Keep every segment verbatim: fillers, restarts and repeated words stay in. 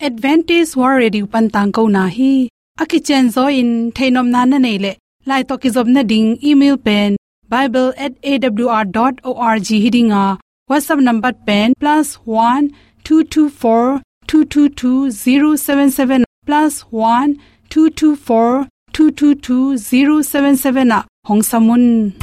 Adventist World Radio pan tangkona hi. A kicianzaw in theihnopna na neih leh, lai tawh kizopna ding email pen bible at A W R dot org hi ding a, WhatsApp number pen plus one two two four two two two zero seven seven, plus one two two four two two two zero seven seven ah hong sam un.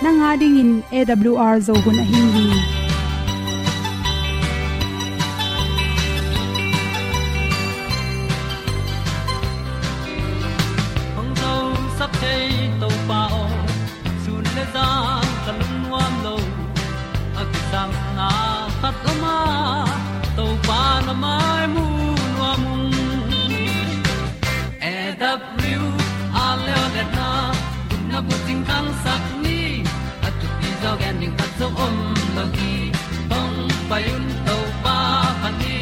Nang a dingin A W R Zo hun ahi hi. Hong zosak thei Topa aw, sun le zan ka lungnuam lo. A kisapna khat om a, Topa na mai mu nuam ung. A W R Leone na, gupna bucing khangsak ni, a thupi zaw gen ding khat zong om lo hi. Hong pai un Topa phat ni,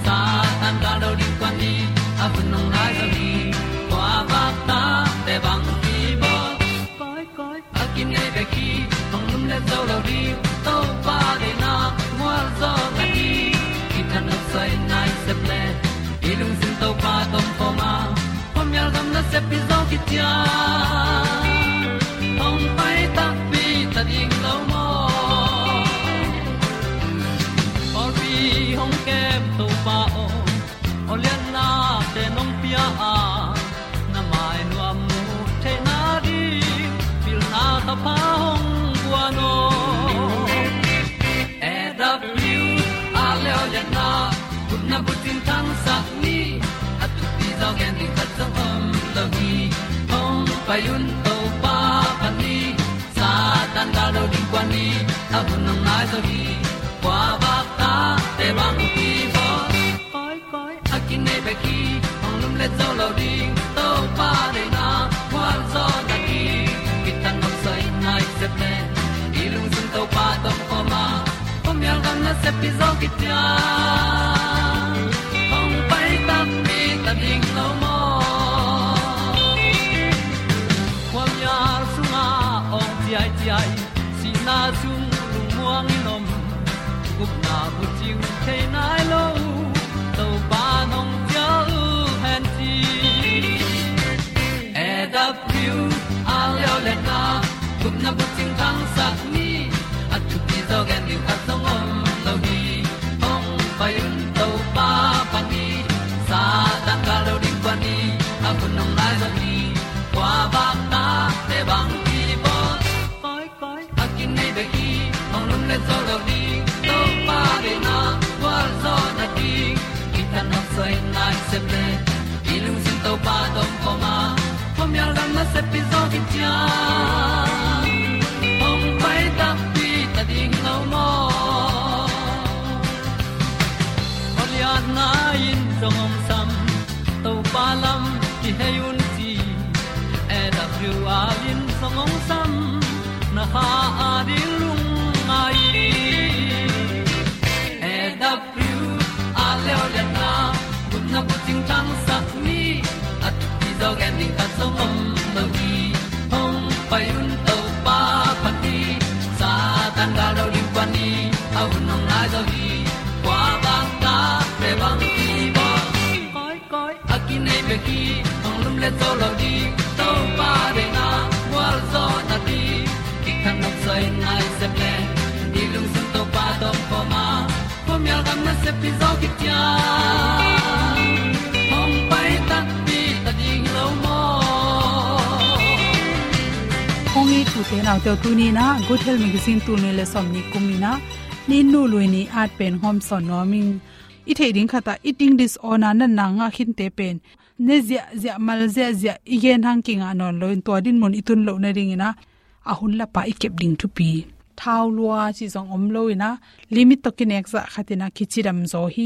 Satan gal do ding kuan ni, a hun hong nai zaw hi. Kua vak tate bang kibawl, koi koi a kinei bek hi. Hong lumlet zo lo ding, Topa deihna mual zaw na hi. Kithanuam soi nai sep le, i lungsim Topa tawh om khawm a, khuamial gam nasep hi zaw khit ciang, hong pai takpi ta ding lo maw? Pawlpi hong kem Topa aw, awlianna te nong pia a, na mai nuam mu theihna ding, pilna thapha hong guan aw. A W R Leone na, gupna bucing khangsak ni, a thupi zaw gen ding khat zong om lo hi. Hong pai un Topa phat ni, Satan gal do ding kuan ni, a hun hong nai zaw hi. Kua vak tate bang kibawl, koi koi a kinei bek hi. Hong lumlet zo lo ding, Topa deihna mual zaw na hi. Kithanuam soi nai sep le, i lungsim Topa tawh om khawm a, khuamial gam nasep hi zaw khit ciang, hong pai takpi ta ding lo maw? Khuamial sungah awng ciaiciai, sihna sung lungmuang in om, gupna bucing thei nai lo, Topa nong cial hen ci. A W R Leone na, gupna bucing khangsak ni, a thupi zaw gen ding khat zong om lo hi. Hong pai un Topa phat ni, Satan gal do ding kuan ni, a hun hong nai zaw hi. Kua vak tate bang kibawl, koi koi a kinei bek hi. Hong lumlet zo lo ding, Topa deihna mual zaw na hi. Kithanuam soi nai sep le, i lungsim Topa tawh om khawm a, khuamial gam nasep hi zaw khit ciang, hong pai takpi ta ding lo maw? Awlianna in zong hong sam, Topa lam kihei un ci. A W R in zong hong sam, na kha a ding lungngai. A W R Leone na, gupna bucing khangsak ni, a thupi zaw gen ding khat zong om lo hi. Hong pai un Topa phat ni, Satan gal do ding kuan ni, a hun hong nai zaw hi. Kua vak tate bang kibawl, koi koi a kinei bek hi. Hong lumlet zo lo ding, Topa deihna mual zaw na hi. Kithanuam soi nai sep le, i lungsim Topa tawh om khawm a, khuamial gam nasep hi zaw khit ciang, hong pai takpi ta ding lo maw? Kong it ute naute aw, tuni in ah Good Health Magazine tul nih le sawmnih kum in ah, Ni Nu Lui Ni at pen hong hawmsawn nuam ing. I theih ding khat ah eating disorder natna ngah khinte pen ne ziahziah, mal ziahziah, i gen hang kingah nawn loin tua dinmun i tun loh nadingin ah, a hun lapa i kep ding thupi. thau lua cih zong om lo in ah, limit tawh kinek zah khat in ah kicidam zaw hi.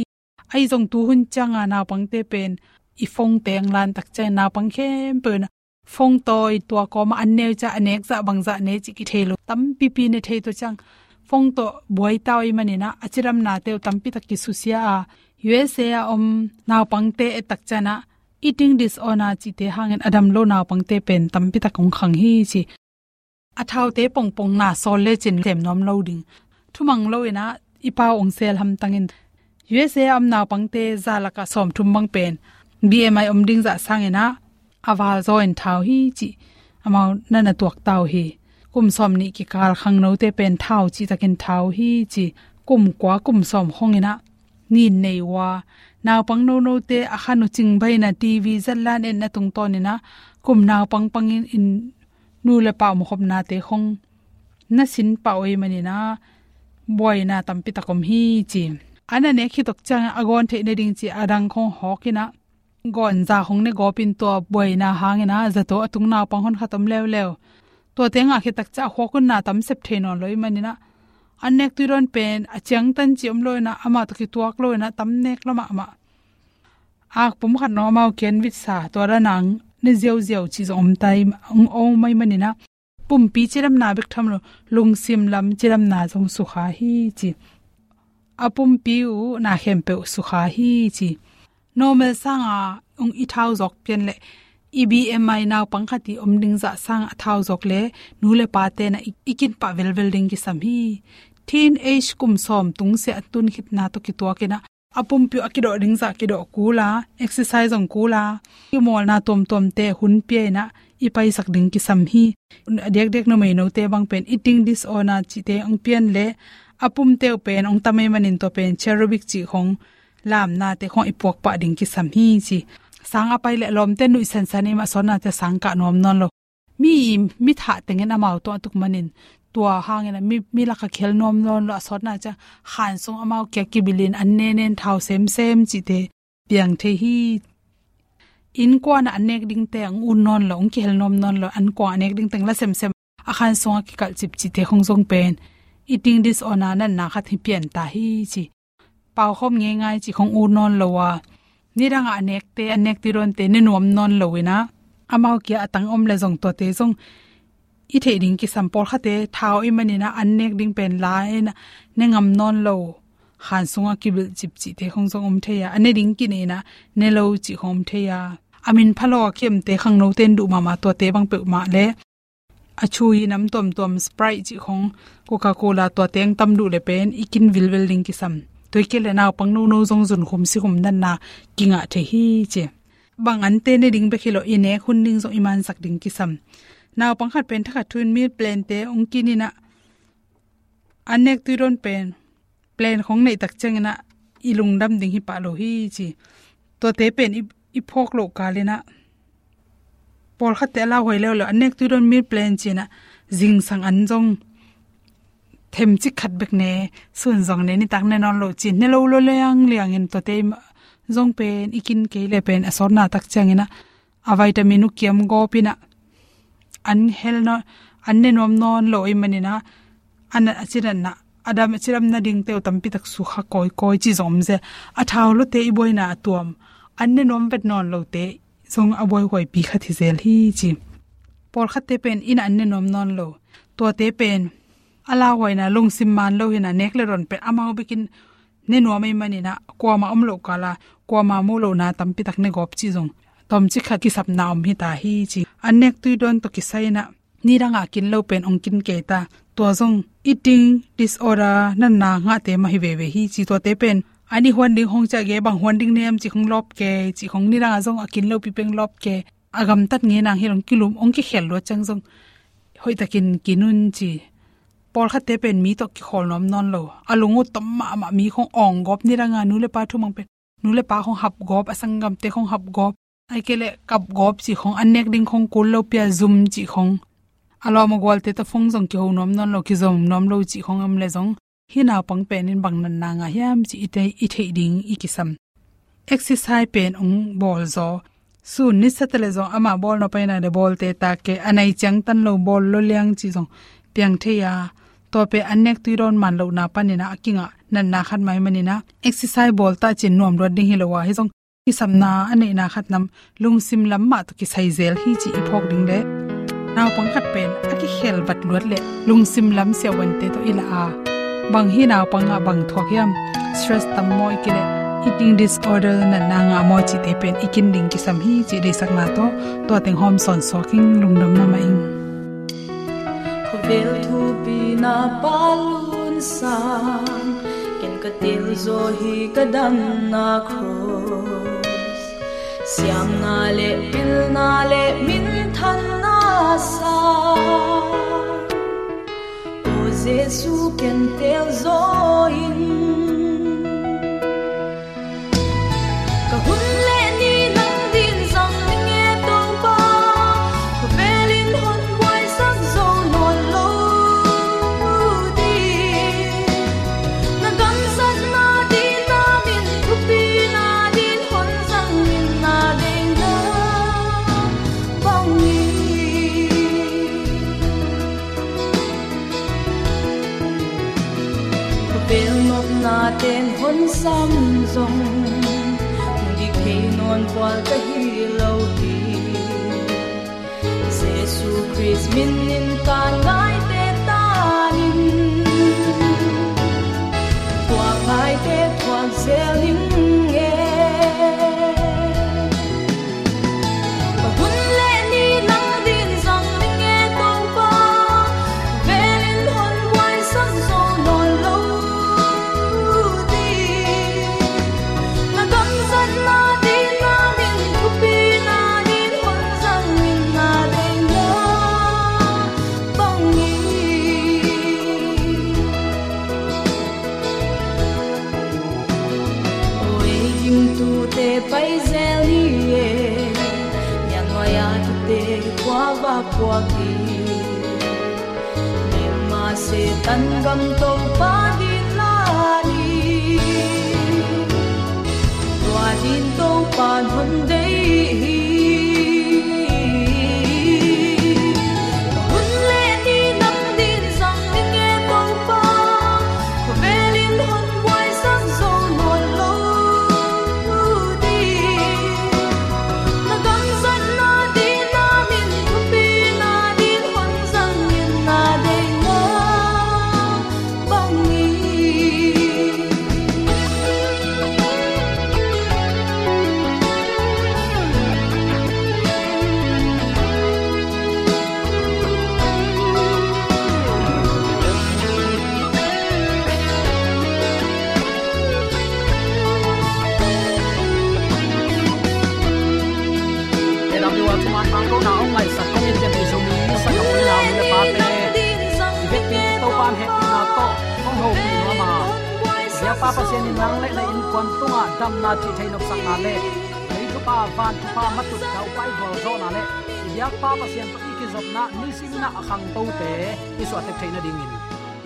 Ahi zong tuhun ciang a naupangte pen i phone te ang lan tak ciang naupang khempeuh in ah phone tawi tua kawm ah an ne uh ciang a nek zah bang zah ne cih kithei lo, tampipi ne thei tua ciang phone tawh buai ta uh ahih manin ah a cidamnate uh tampi tak kisusia a, U S A a om naupangte et tak ciang ah eating disorder cihte hangin a dam lo naupangte pen tampi tak hong khang hi ci. A thaute pongpong na sawl lecin sem nuam lo ding. Thumang lo in ah i pau ong sel hamtang in, U S A a om naupangte za lakah sawmthum bang pen B M I om ding zah sang in ah a val zaw in thau hi ci. Amau na na tuak ta uh hi. Kum sawmnih kikal khangnote pen thau cih takin thau hi ci. Kum kua kum sawm khawng in ah nin nei uh a, naupang nonote a khan uh cingbai in ah T V zatlan etna tungtawn in ah kum naupang pangin in nu le pa omkhopnate khawng na sin pah uh ahih manin ah buaina tampi tak om hi ci. A na nek khit tawh ciang a gawn theih nading ci a dang khawng hawk in ah gawn za khawng ne gawp in tua buaina hangin ah zato a tung naupang honkhat om leuleu. Tuate ngah khit tak ciang a khuak un na tam sep thei nawn lo ahih manin ah an nek tui dawn pen a ciangtan ci om lo in ah amah tawh kituak lo in ah tam nek lua mahmah. Ak pum khat nong amau kian vitsa tua dan ang ne ziauziau ci zong om ta hi, ong om ahih manin ah pumpi cidamna bek tham lo, lungsim lam cidamna zong sukha hi ci. A pumpi uh na khempeuh sukha hi ci. Normal sang a ong i thau zawk pian leh i B M I naupang khat i om ding zah sang a thau zawk leh nu le pate na i, i kin pah velvel ding kisam hi. Teenage kum sawm tung sia a tun khitna tawh kituak in ah a pumpi uh a kidawh ding zah kidawh kul a, exercise zong kul a, kimawlna tuamtuamte hun pia in ah i paisak ding kisam hi. A diakdiak numei note bang pen eating disorder cihte ong pian leh a pumte uh pen ong tam ahih manin tua pen cherubic cih khawng lamnate khawng i puak pah ding kisam hi ci. Sang a pai leh lawmte nuih sansan ahih mah sawtnate sang kah nuam nawn lo. Mi, mi thah tengin amau tawh a tuk manin tua hangin ah mi, mi lakah kihel nuam nawn lo a sawtna ciang khan sung amau kia kibil in an ne nen thau semsem cihte piang thei hi. Innkuan ah an nek dingte ang un nawn lo, ang kihel nuam nawn lo, innkuan a nek ding teng la semsem a khan sungah kikalh cipcihte khawng zong pen eating disorder natna khat hi pian ta hi ci. Pau khawm ngeingai cih khawng ut nawn lo a, nidang a nekte, a nek tui dawnte ne nuam nawn lo in ah amau kia a tang om leh zong tuate zong i theih ding kisam. Pawlkhatte thau ahih manin ah an nek ding pen la in ah ne ngam nawn lo, khan sungah kibilh cipcihte khawng zong om thei a, a ne ding kinei in ah ne lo cih khawng om thei a, a min pha lo a kiamte khangnote in duh mahmah tuate bang peuhmah leh a chui nam tuamtuam Sprite cih khawng, Coca-Cola tuate ang tam duh leh pen i kin vilvel ding kisam. Tua hi kei leh naupang nono zong zunkhum sikhum natna kingah thei hi ci. Bang ante ne ding bek hi lo, i nek hun ding zong i mansak ding kisam. Naupang khat pen thakhat thu in meal plante ong kin in ah an nek tui dawn pen plan khawng neih tak ciangin ah i lungdam ding hi pah lo hi ci. Tuate pen i, i phawk loh kal in ah pawlkhatte a lauhuai leuleu, an nek tui dawn meal plan ci in ah zingsang an zong themcik khat bek ne, sun zong ne, nitak ne nawn lo ci in ne lo lua liangliang in tuate zong pen i kin kei leh pen a sawtna tak ciangin ah a vitamin uh kiam gawp in ah an hel nawn, an ne nuam nawn lo ahih manin ah an a cidamna, a dam a cidamna dingte uh tampi tak sukha kawikawi ci zong om zel. A thau luate i buaina a tuam, an ne nuam vet nawn lote zong a buaihuaipi khat hi zel hi ci. Pawlkhatte pen in ah an ne nuam nawn lo, tuate pen a lauhuaina lungsim man lo hi in ah nek leh dawn pen amau bek in ne nuam ahih manin ah kuamah om loh kal a kuamah mu lohna tampi tak ne gawp ci zong tawmcik khat kisapna om hi ta hi ci. An nek tui dawn tawh kisai in ah nidang a kin lo pen ong kin kei ta. Tua zong eating disorder natna ngahte mah hi veve hi ci. Tuate pen an i huan ding khawng ciah gei, bang huan ding nem cih khawng lawp kei, cih khawng, nidang a zong a kin lo pi peng lawp kei. A gamtat ngei nang hi lo, ong kilum, ong kikhel luat ciang zong hoihtakin kin un ci. Pawlkhatte pen mi tawh kikhawl nuam nawn lo, a lung uh tom mahmah, mi khawng awng gawp, nidang a nu le pa thumang pen nu le pa khawng hap gawp, a sanggamte khawng hap gawp, ahih kei leh kap gawp cih khawng, an nek ding khawng kul lo pia zum cih khawng, a lawm a gualte tawh phone zong kiho nuam nawn lo, kizom nuam lo cih khawng om leh zong hih naupang pen in bang natna ngah hiam cih i theih, i theih ding i kisam. Exercise pen ong bawl zaw. Sun nisa ta leh zong amah bawl nop ahih nak leh bawlte tak e, a nai ciangtan lo bawl lua liang cih zong piang thei a, Tua pen an nek tui dawn man lohna panin ah a kingah natna khat mah ahih manin ah exercise bawl ta cin nuam luat ding hi lo a, hi zong kisamna a neihna khat nam lungsim lam mah tawh kisai zel hi cih i phawk ding leh, naupang khat pen a kikhel vat luat leh lungsim lam siavuante tawh i lah a, bang hi naupang ah bang thuak hiam, stress tam maw i kileh, eating disorder natna ngah maw cihte pen i kin ding kisam hi cih deihsakna tawh tua teng hawm sawn suak ing. Lungdam mahmah ing. Khawvel thupi na pa lunsan, ken ka tel zaw hi ka damna cross. Siamna le pilna le minthanna sa, O Jesu ken tel zaw in. Ka hun le ni nang din zang ning e Topa, khawvel in hon buaisak zo nawn lo ding. Na gamzatna din, na min thupina din hon zang in na deihna bangin. Khawvel nopna ten hon sam zong, hong dik thei nawn pual ka hi lo hi. Jesu Khrist min in ka ngaite tan in, thuak ngaite thuak zel ning e. Ka hun le ni nang din zang ning e Topa, khawvel in hon buaisak zo nawn lo ding. Na gamzatna din, na min thupina din hon zang in na deihna bangin. Oi, gimtute pai zel ni e, nial nuai a kite kua va puak hi. Myanmar Satan gam Topa din la ni, tua din Topa hon deih hi. Hun le ni nang din zang ning e Topa, khawvel in hon buaisak zo nawn lo ding. Na gamzatna din, na min thupina din hon zang in na deihna bangin. A W R thuman tangkona hong ngaihsak kong in, Zomi Sanggamte, nau nu le pate, i vekpi Topa'n hehpihna tawh hong hopih nuam a, biakpa Pasian in nang le na innkuan tungah damna, thih theih nopsakna le lei thupha, van thupha, matut daupai gualzawhna le i biakpa Pasian tawh i kizopna nisimin ah a khangtote i suahtek theih nadingin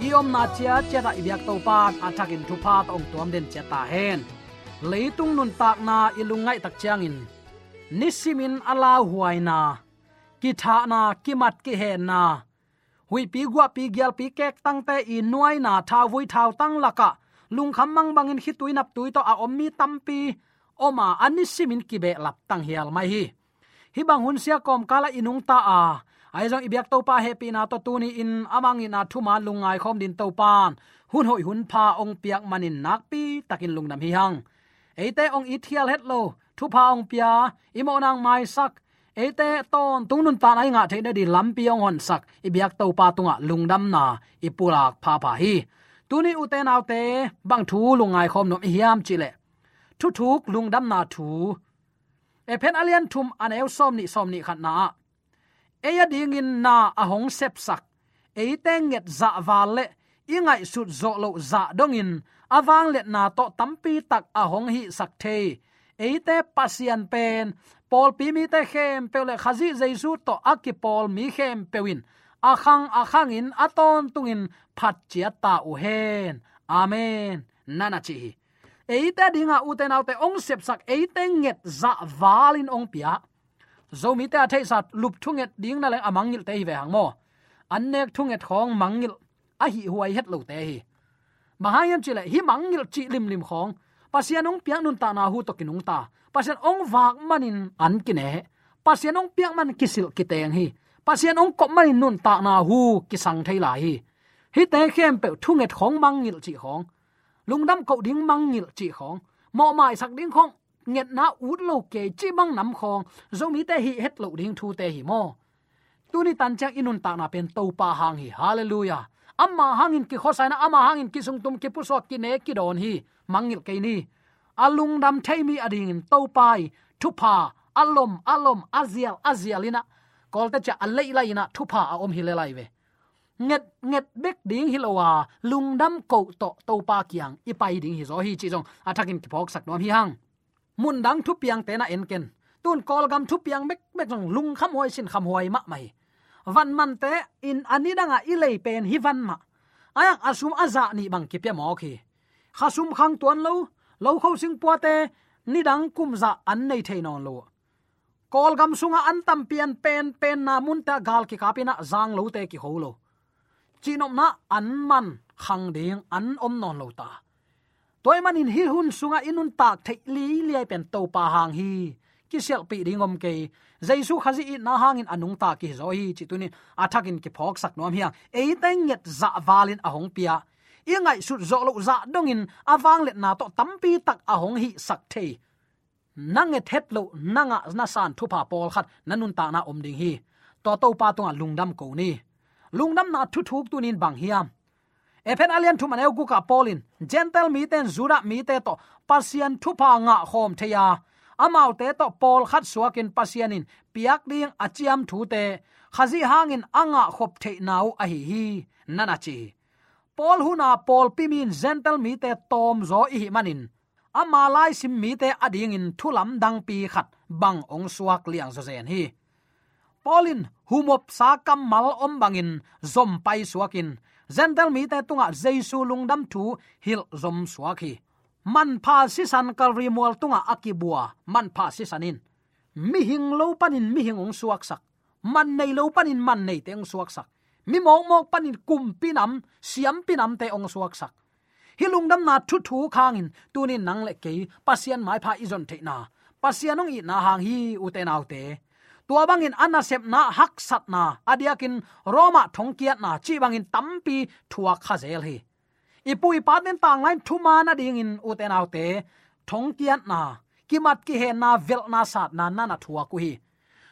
i omna ciatciat ah i biak Topa'n a thakin thupha tawh hong tuam den ciat ta hen. Leitung nuntakna i lungngaih tak ciangin nisimin a lauhuaina, kithahna, kimat kihenna, huihpi guahpi gialpi kektangte i nuaina, thauvui thautang lakah lungkham mang bangin khitui naptui tawh a om mi tampi om a, a nisimin kibehlap tanghial mai hi. Hih bang hun sia kawmkal ah i nungta a, ahi zong i biak Topa hehpihna tawh tuni-in a mangngilhna thuman lungngai khawm din Topa'n hun hoih hun pha hong piak manin nakpi takin lungdam hi hang. Eite hong it hial het lo, thupha hong pia, i mawhna hong maisak, eite tawntung nuntakna i ngah theih nading lampi hong honsak i biak Topa tungah lungdamna i pulak phapha hi. Tuni ute naute, bang thu lungngai khawm nuam i hiam cih leh, thuthuk lungdamna thu. Efesa a lian thum, a neu sawmnih, sawmnih khatna ah, ei adingin na a hong sepsak, eite nget zahval le i ngaihsut zawh loh zah dongin a vangliatna tawh tampi tak a hong hihsak thei eite Pasian pen pawlpi mite khempeuh le Khazih Jesu tawh a kipawl mi khempeuh in a khang a khangin a tawntungin phat ciat ta uh hen. Amen, na na ci hi. Eite dinga ute naute hong sepsak, eite nget zahvalin hong pia. Zomite a theihsa lup thunget ding na leng a mangngilhte hi ve hang maw. An nek thunget khawng mangngilh, a hih huai het lote hi. Bang hang hiam cih leh hih mangngilh cih limlim khawng, Pasian hong piak nuntakna hu tawh kinungta, Pasian hong vak manin an kine, Pasian hong piak manin kisilh kiteng hi. Pasian hong kop manin nuntakna hu kisang thei lai hi. Hihte khempeuh thunget khawng mangngilh cih khawng, lungdam koh ding mangngilh cih khawng, mawhmaisak ding khawng, ngetna ut lo kei cih bang nam khawng, Zomite hih het loh ding thute hi maw? Tuni tan ciang i nuntakna pen Topa hang hi. Halleluiah. Ama hangin kikhuasa in, ama hangin kisungtum, kipusuak, kine, kidawn hi. Mangngilh kei ni. A lungdam thei mi adingin Topa i thupha a lom, a lom, a zial, a zial in ah, Kawlte ciah a leihlai in ah thupha a om hi lel lai ve. Nget, nget bek ding hi lo a, lungdam koh tawh Topa kiang i pai ding hi zaw hi cih zong a thakin kiphawksak nuam hi hang. Mundang thupiangte na en ken. Tun Kawlgam thupiang bekbek zong lungkham huai, sinkham huai mahmah hi. Van mante in a nidangah i lei pen hih van mah. A yak a sum a zah nih bang kipia mawk hi. Khasum khang tuan lo, lokho singpuate nidang kum zah an nei thei nawn lo. Kawlgam sungah an tampi an penpenna munte ah gal kikap in ah zang lote kiho lo. Cihnopna an man khang ding an om nawn lo ta. Tua ahih manin hih hun sungah i nuntak theih liliai pen Topa hang hi. Kisialhpih ding om kei. Jesu Khazih itna hangin a nungta kihi zaw hi cih tunin a thakin kiphawksak nuam hi hang. Eite nget zah valin a hong pia, i ngaihsut zawh loh zah dongin a vangliatna tawh tampi tak a hong hihsak thei, na nget het loh, na ngah na san thupha pawlkhat na nuntakna om ding hi. Tua Topa tungah lungdam ko ni. Lungdamna thuthuk tunin bang hiam? Efesa a lian thum a neu gukah Paul in Gentile mite in Judah mite tawh Pasian thupha ngah khawm thei a, amaute tawh pawlkhat suakin Pasian in piak ding a ciam thute Khazih hangin a ngah khop theihna uh ahi hi, na na ci hi. Paul huna pawlpi mi in Gentile mite tawmzaw i hih manin, ama laisim mite adingin thu lamdangpi khat bang hong suak liangzaw zen hi. Paul in humopsa kammal om bangin zom paisuakin Gentile mite tungah Jesu lungdam thu hilh zom suak hi. Manpha sisan Kalvari mual tungah a kibua manpha sisan in mihing lo panin mihing hong suaksak, man nei lo panin man neite hong suaksak, mi mawkmawk panin kumpi nam, siampi namte hong suaksak. Hih lungdamna thuthuk hangin tunin nang le kei Pasian maipha i zon theihna, Pasian hong itna hang hi, ute naute. Tua bangin a nasepna, haksatna, a diakin Roma thongkiatna cih bangin tampi thuak kha zel hi. I pu i pate'n tanglai in thuman a dingin, ute naute, thongkiatna, kimat kihenna, velhna, satna na na thuak uh hi.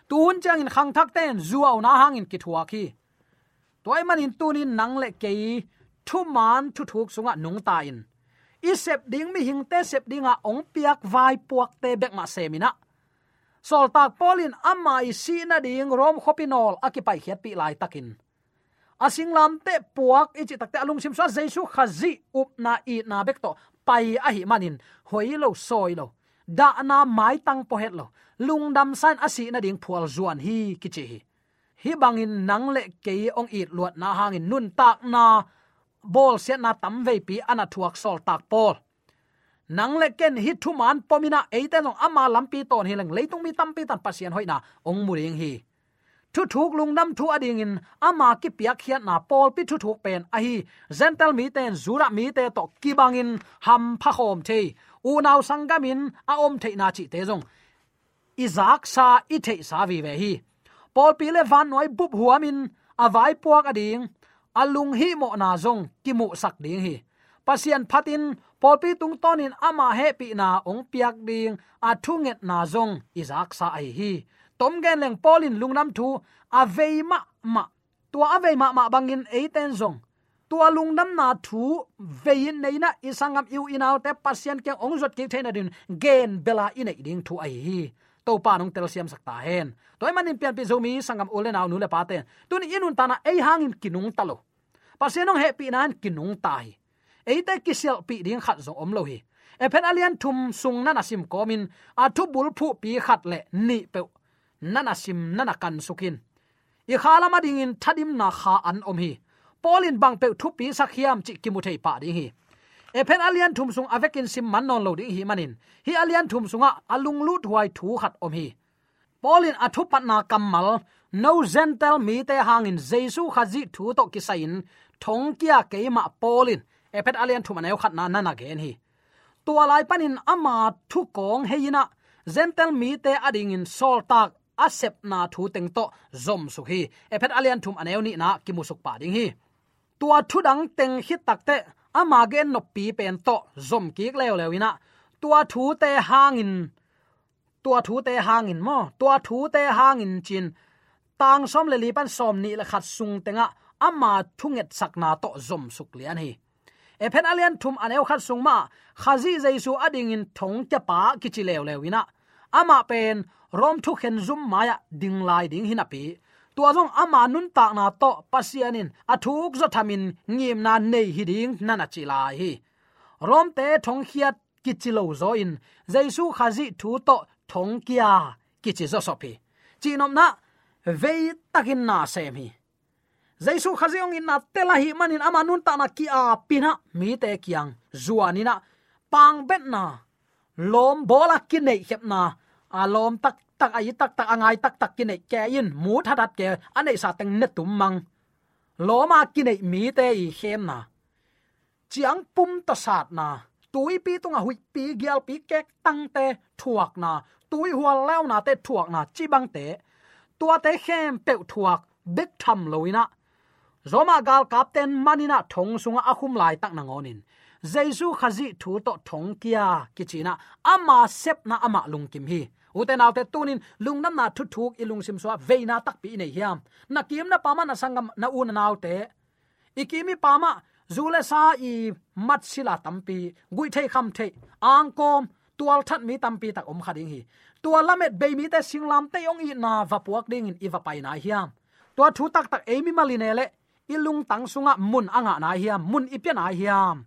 Tuhun ciangin khangthakte in zuauna hangin kithuak hi. Tua ahih manin tunin nang le kei thuman thuthuk sungah nungta in, i sep ding mihingte sep dinga hong piak vaipuakte bek mah sem in ah, sawltak Paul in ama i sih nading Rom khuapi nawl a kipaikhiatpih laitakin, a singlamteh puak i cih takteh a lungsim sungah Jesu Khazih upna itna bek tawh pai ahih manin hoi lo, sawi lo, dahna maitang pua het lo, lungdamsa in a sih nading phual zuan hi kici hi. Hih bangin nang le kei hong itluatna hangin nuntakna bawlsiatna tamveipi a na thuak sawltak Paul, nang le ken hih thuman pom in ah eite zong ama lampi tawn hi leng leitung mi tampi tan Pasian hoihna hong mu ding hi. Thuthuk lungdam thu a dingin ama kipiakkhiatna pawlpi thuthuk pen ahi Gentile mite in Judah mite tawh kibangin hampha khawm thei, unau sanggamin a om theihna cihte zong i zaksa, i theihsa vive hi. Pawlpi le vannuai bup huamin a vaipuak a ding, a lunghihmawhna zong kimuhsak ding hi. Pasian phatin pawlpi tungtawnin ama hehpihna hong piak ding a thungetna zong i zaksa ahi hi. Tom gen leng Paul in lungdam thu a vei mahmah, tua a vei mahmah bangin eite in zong tua lungdamna thu vei in nei in ah i sanggam, i u i naute Pasian kiang hong zuat kik theih nadingin gen bela i neih ding thu ahi hi. Topa in hong telsiamsak ta hen. Tua ahih manin pianpih Zomi sanggam u le nau, nu le pate in tunin i nuntakna ei hangin kinungta lo, Pasian hong hehpihna in kinungta hi. Eite kisialhpih ding khat zong om lo hi. Efesa a lian thum sung na na sim kawmin a thubulphuhpi khat le nih peuh na na sim, na na kansuk in. I khalam a dingin thadimna kha an om hi. Paul in bang peuh thupisak hiam cih kimu thei pah ding hi. Efesa a lian thum sung a vekin sim man nawn lo ding ihih manin hih a lian thum sungah a lungluthuai thu khat om hi. Paul in a thupatna kammal, no Gentile mite hangin Jesu Khazih thu tawh kisai-in thongkia keimah Paul in Efesa a lian thum a neu khatna na na gen hi. Tua lai panin ama thukawng hei in ah Gentile mite adingin sawltak a sepna thu teng tawh zomsuk hi. Efesa a lian thum a neu nihna kimusuk pah ding hi. Tua thudang teng khit takteh ama gen noppi pen tawh zomkik leuleu in ah tua thute hangin, tua thute hangin maw, tua thute hangin cin tang sawm le li pan sawm nih le khat sung tengah ama thungetsakna tawh zomsuk lian hi. Efesa a lian thum a neu khat sung mah Khazih Jesu adingin thongkiapa kici leuleu in ah amah pen Rom thukhen zum mai-ah ding lai ding hi napi, tua zong ama nuntakna tawh Pasian in a thuk zawthamin ngimna nei hi ding na na ci lai hi. Romte thongkhiat kici lo zaw in Jesu Khazih thu tawh thongkia kici zawsop hi. Cihnopna, veitakin na sem hi. Jesu Khazih hong itna tel ahih manin ama nuntakna ki-apin ah mite kiang zuan in ah pangbetna, lawm bawl a kineihkhepna, a lawm taktak, a it taktak, a ngai taktak kineih kei in, mut hathat kei a neihsa teng ne tum mang, lawm a kineih mite i khemna, ciangpum tawh satna, tuipi tungah huihpi gialpi kektangte thuakna, tuihual leunate thuakna, cibangte, tuate khempeuh thuak bek tham lo in ah Roma galkapten man in ah thong sungah a khum laitak nangawnin Jesu Khazih thu tawh thongkia kici in ah ama sepna amah lungkim hi. Ute naute, tunin lungdamna thuthuk i lungsim sungah veina takpi i nei hiam? Na kim na pam ah, na sanggam, na u na naute, i kim i pam ah zu le sa, i mat sila tampi, guih theih kham theih, angkawm, tualthat mi tampi tak om kha ding hi. Tua lamet bei mite singlamteh hong itna va puak dingin i va pai nai hiam? Tua thu taktak ei mimal i ne leh i lungtang sungah mun a ngah nai hiam, mun i pia nai hiam?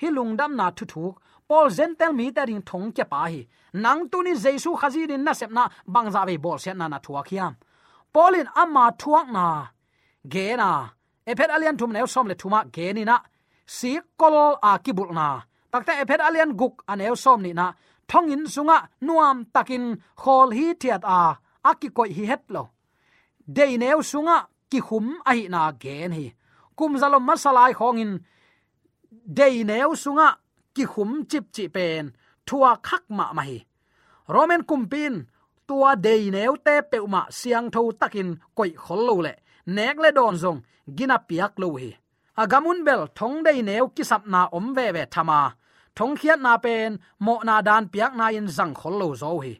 Hih lungdamna thuthuk, Paul Gentile mite ading thongkiapa hi. Nang tunin Jesu Khazih din na sepna bangzah vei bawlsiatna na thuak hiam? Paul in ama thuakna gen a, Efesa a lian thum a neu sawm le thum ah gen in ah, sikkol a kibulhna, takte Efesa a lian guk a neu sawm nihna, thonginn sungah nuamtakin khawl hithiat a, a kikoih hi het lo, deineu sungah kikhum ahihna gen hi. Kumzalom masa lai khawngin deineu sungah kikhum cipcih pen thuak hak mahmah hi. Roman kumpi in tua deineute peuhmah siangtho takin koih khol lo le nek le dawn zong gina piak lo uh hi. A gam un bel thong deineu kisapna om veve tham a, thongkhiatna pen mawhna daan piakna in zang khol lo zaw uh hi.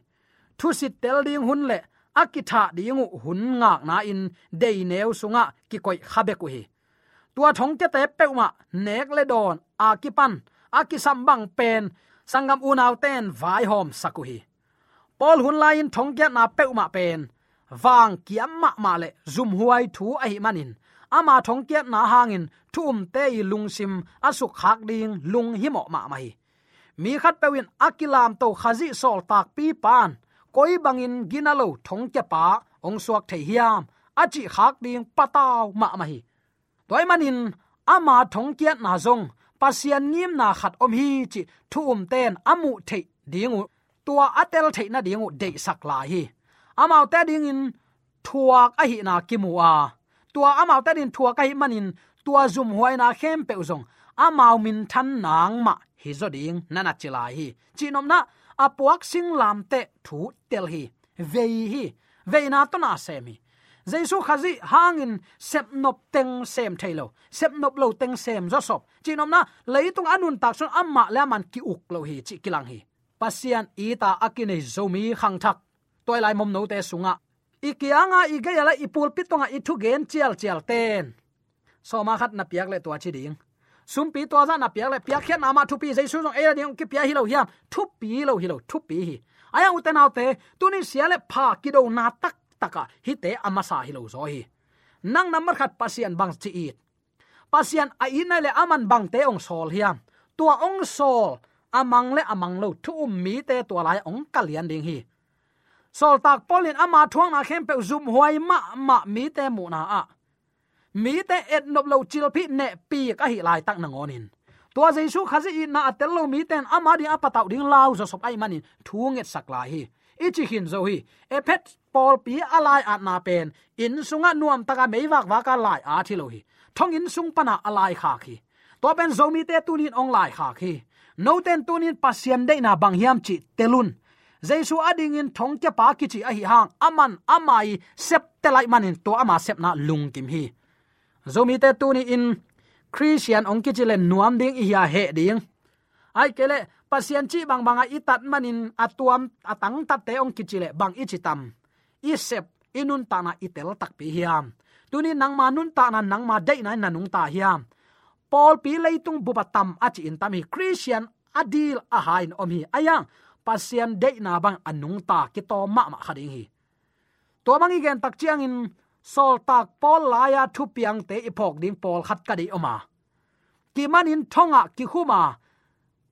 Thusit tel ding hun le a kithah ding uh hun ngakna in deineu sungah kikoih kha bek uh hi. Tua thongkiate peuhmah nek le dawn a kipan a kisam bang pen sanggam unaute in vaihawmsak uh hi. Paul hun lai-in thongkiatna peuhmah pen vangkiam mahmah le zumhuai thu ahih manin ama thongkiatna hangin thu umte i lungsim a sukkhak ding lunghimawh mahmah hi. Mi khatpeuh in a kilamto Khazih sawltakpipa in koi bangin gina lo thongkiapa hong suak thei hiam a cihkhak ding patau mahmah hi. Tua ahih manin ama thongkiatna zong Pasian ngimna khat om hi cih thu umte in a muh theih ding uh, tua a tel theih nading uh deihsak lai hi. Amaute adingin thuak ahihna kimu a, tua amaute adingin thuak ahih manin tua zumhuaina khempeuh zong amau minthan nang mah hi zaw ding na na ci lai hi. Cihnopna, a puak singlamteh thu tel hi. Vei hi. Veina tawh na sem hi. Jesu Khazih hangin sepnop teng sem thei lo, sepnop lo teng sem zawsop. Cihnopna, leitung a nuntak sung amah le amah in ki-uk lo hi cih kilang hi. Pasian it a a kinei Zomi khangthak, tua i lai momnote sungah i kianga i gei a le i pulpit tungah i thugen cialcial ten sawma khat na piak le tua ci ding. Sumpi tua zah na piak le piakkhiatna mah thupi, Jesu zong ei a ding kipia hi lo hiam? Thupi lo hi lo, thupi hi. Ahi hang ute naute, tuni sia le pha kidona taktak ah hihte a masa hi lo zaw hi. Nang nambat khat Pasian bang ci it? Pasian a it nai le aman bangte hong sawl hiam? Tua hong sawl a mang le a mang lo thu um mite tua lai hong ka lian ding hi. Sawltak Paul in ama thuakna khempeuh zumhuai mahmah mite muhna ah mite etnop lo cilphih nehpik ahih laitak nangawnin tua Jesu Khazih itna a tel lo mite in ama ding a patauh ding lau zawsop ahih manin thu ngetsak lai hi. i ci khin zo hi. Efesa pawlpi a lai-atna pen inn sungah nuamtaka meivakvaka lai-at hi lo hi. Thonginn sung pana a laikhak hi. Tua pen Zomite tunin hong laikhak hi. Noten tunin Pasian deihna bang hiam cih tel un. Jesu adingin thongkiapa kici ahi hang, aman ama i septe laih manin tua ama sepna lungkim hi. Zomite tuni-in Khristian hong kici le nuam ding i hia, heh ding? Ahih kei leh Pasian cih bangbanga i tat manin a tuam a tangtatte hong kici le bang i ci tam? I sep, i nuntakna i tel takpi hiam? Tuni nangma nuntakna, nangma deihna in na nungta hiam? Pawlpi leitung bupa tam a ci-in tam hi. Khristian a dil a hai in om hi. Ahi hang Pasian deihna bang a nungta kitawm mahmah kha ding hi. Tua bang i gen tak ciangin Sawltak Paul lai-a thupiangte i phawk ding pawlkhat ka deih om a, kimanin thongah kikhum a,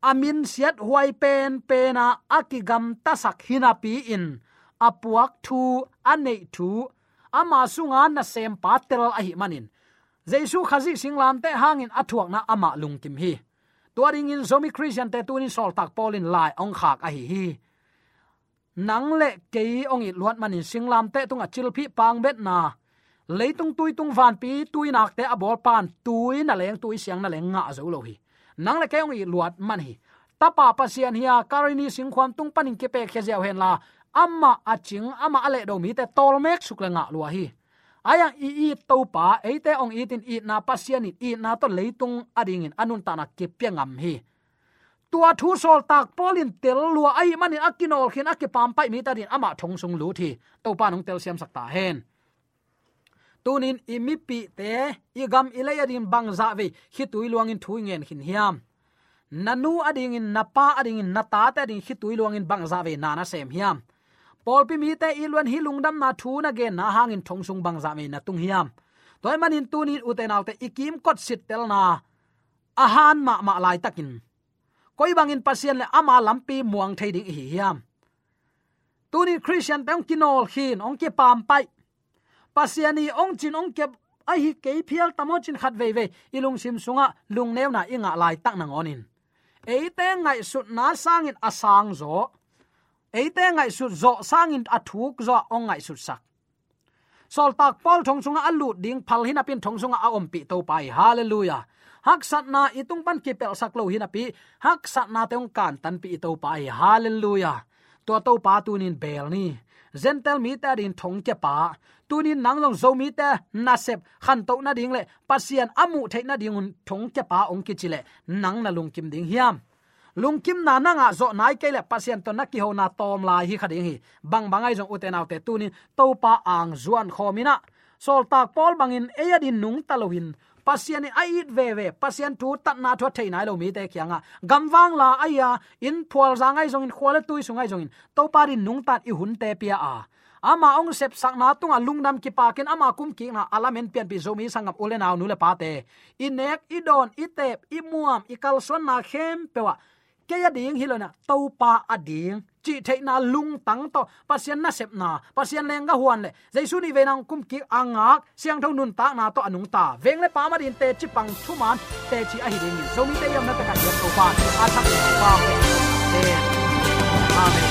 a minsiat huai penpen a a kigamtasak hinapi-in a puak thu, a neih thu, ama sunga nasempa tel ahih manin Jesu Khazih singlamteh hangin a thuakna amah lungkim hi. Tua dingin Zomi Khristiante tunin Sawltak Paul in lai hong khak ahi hi. Nang le kei hong it luat manin singlamteh tungah cilphih pangbetna, leitung tuitung vanpi tuinakte a bawlpa'n tui naleng, tui siang naleng ngah zo lo hi. Nang le kei hong it luat man hi. Tapa Pasian hi a, Kalvari singkhuam tung panin kipekkhia ziau henla, amah a cing, amah a lehdo mite tawlmek suk le ngah lua hi. Ahi hang i it Topa, eite hong itin itna Pasian in itna tawh leitung adingin a nuntakna kipia ngam hi. Tua thu Sawltak Paul in tel lua ahih manin a kinawlkhin, a kipampaih mite adingin amah thong sung lut hi. Topa'n hong telsiamsak ta hen. Tunin i mipihte, i gam i lei adingin bangzah vei khitui luangin thu i ngen khin hiam? Na nu adingin, na pa adingin, na tate adingin khitui luangin bangzah vei na na sem hiam? Pawlpi mite i luan hi lungdamna thu na genna hangin thong sung bangzah vei na tung hiam? Tua ahih manin tunin ute naute, i kimkot sittelna a han mahmah laitakin koi bangin Pasian le ama lampi muang thei ding i hi hiam? Tunin Khristiante hong kinawlkhin, hong kipampaih, Pasian i hong cin hong kep ahi kei phial tam aw cin khat veivei i lungsim sungah lungneuna i ngah laitak nangawnin, eite ngaihsutna sangin a sang zaw, eite ngaihsut zawh sangin a thuk zawh hong ngaihsutsak. Sawltak Paul thong sungah a lut ding phal hinapi-in thong sungah a ompih Topa hi. Halleluiah. Haksatna i tung pan kipelhsak lo hinapi, haksatnate hong kantanpih i Topa hi. Halleluiah. Tua Topa tunin bel ni. Gentile mite adingin thongkiapa, tunin nang zong Zomite nasep khantoh nading le Pasian a muh theih nadingun thongkiapa hong kici leh nang na lungkim ding hiam? Lungkimna na ngah zawh nai kei leh Pasian tawh na kihona tawm lai hi kha ding hi. Bangbang ahi zong ute naute, tunin Topa ang zuan khawm in ah, Sawltak Paul bangin ei adingin nungta loin, Pasian in a it veve, Pasian thu, tatna thu a thei nai lo mite kiangah, gamvang la ahi a, inn phualzang ahi zongin, khua le tui sung ahi zongin, Topa adingin nungta in i hunte pia a, ama hong sepsakna tungah lungdam kipakin ama kumkikna a lamen pianpih Zomi sanggam u le nau, nu le pate, i nek, i dawn, i teep, i muam, i kalsuanna khempeuh ah, kei ading hi lo in ah, Topa ading cih theihna lungtang tawh, Pasian nasepna, Pasian leenggah huan le Jesu nih veina hong kumkik a ngak siangtho nuntakna tawh a nungta, veng le pam adingin teci pang thuman teci ahi dingin Zomite i omna takah hiam Topa a thak Topa hong pia. Amen.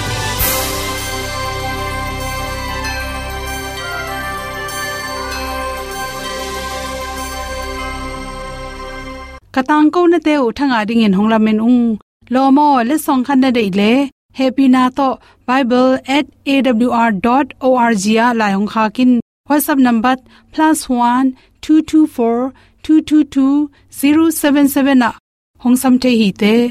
Ka tangkonate uh thangah dingin hong lamen ung. Lawm aw, letsong khat na deih leh, hehpihna tawh bible at A W R dot O R G ah lai hong khak in. WhatsApp number plus one two two four two two two zero seven seven ah hong sam thei hi te.